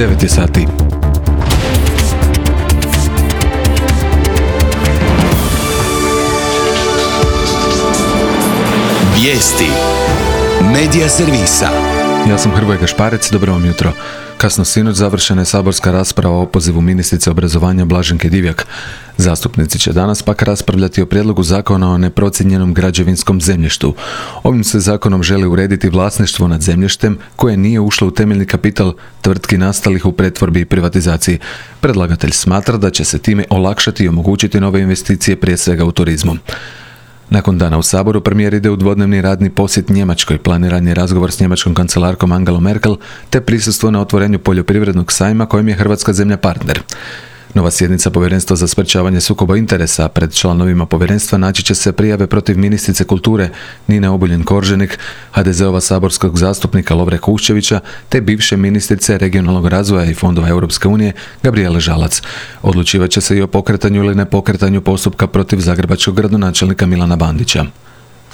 9 je sati. Vijesti Medija servisa. Ja sam Hrvoje Gašparec, dobro vam jutro. Kasno sinoć završena je saborska rasprava o opozivu ministrice obrazovanja Blaženke Divjak. Zastupnici će danas pak raspravljati o prijedlogu zakona o neprocijenjenom građevinskom zemljištu. Ovim se zakonom želi urediti vlasništvo nad zemljištem koje nije ušlo u temeljni kapital tvrtki nastalih u pretvorbi i privatizaciji. Predlagatelj smatra da će se time olakšati i omogućiti nove investicije, prije svega u turizmu. Nakon dana u Saboru, premijer ide u dvodnevni radni posjet Njemačkoj, planiran je razgovor s njemačkom kancelarkom Angelom Merkel, te prisustvo na otvorenju poljoprivrednog sajma kojem je Hrvatska zemlja partner. Nova sjednica Povjerenstva za sprečavanje sukoba interesa. Pred članovima povjerenstva naći će se prijave protiv ministrice kulture Nine Obuljen-Korženik, HDZ-ova saborskog zastupnika Lovre Kuščevića, te bivše ministrice regionalnog razvoja i fondova Europske unije Gabrijele Žalac. Odlučivat će se i o pokretanju ili nepokretanju postupka protiv zagrebačkog gradonačelnika Milana Bandića.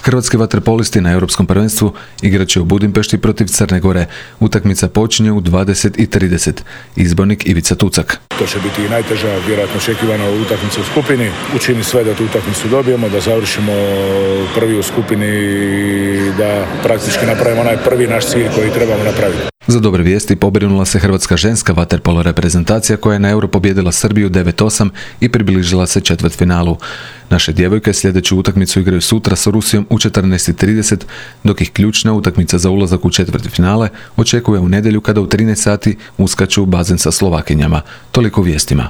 Hrvatski vaterpolisti na Europskom prvenstvu igrat će u Budimpešti protiv Crne Gore. Utakmica počinje u 20:30. Izbornik Ivica Tucak. To će biti i najteža, vjerojatno očekivana utakmica u skupini. Učini sve da tu utakmicu dobijemo, da završimo prvi u skupini i da praktički napravimo onaj prvi naš cilj koji trebamo napraviti. Za dobre vijesti pobrinula se hrvatska ženska vaterpolo reprezentacija koja je na Euro pobijedila Srbiju 9:8 i približila se četvrtfinalu. Naše djevojke sljedeću utakmicu igraju sutra sa Rusijom u 14:30, dok ih ključna utakmica za ulazak u četvrtfinale očekuje u nedjelju kada u 13 sati uskaču u bazen sa Slovakinjama. Toliko vijestima.